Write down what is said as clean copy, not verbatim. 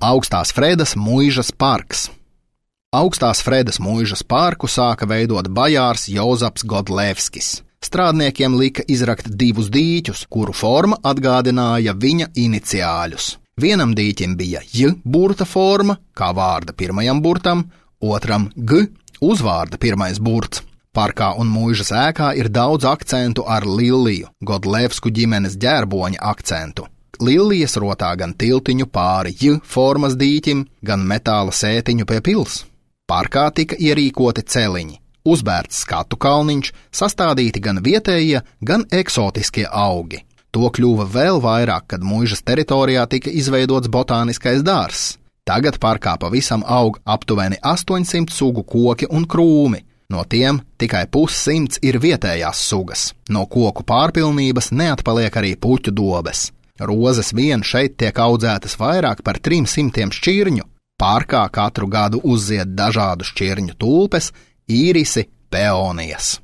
Augstās Fredas muižas parks. Augstās Fredas muižas parku sāka veidot bajārs Jozaps Godlevskis. Strādniekiem lika izrakt 2 dīķus, kuru forma atgādināja viņa iniciāļus. Vienam dīķim bija J burta forma, kā vārda pirmajam burtam, otram G uzvārda pirmais burts. Parkā un muižas ēkā ir daudz akcentu ar Lilliju, Godlevsku ģimenes ģērboņa akcentu. Lillijas rotā gan tiltiņu pāri J formas dīķim, gan metāla sētiņu pie pils. Parkā tika ierīkoti celiņi, uzbērts skatu kalniņš, sastādīti gan vietējie, gan eksotiskie augi. To kļuva vēl vairāk, kad muižas teritorijā tika izveidots botāniskais dārzs. Tagad parkā pavisam aug aptuveni 800 sugu koki un krūmi. No tiem tikai 100 ir vietējās sugas. No koku pārpilnības neatpaliek arī puķu dobes. Rozes vien šeit tiek audzētas vairāk par 300 šķirņu. Parkā katru gadu uzzied dažādu šķirņu tulpes, īrisi, peonijas.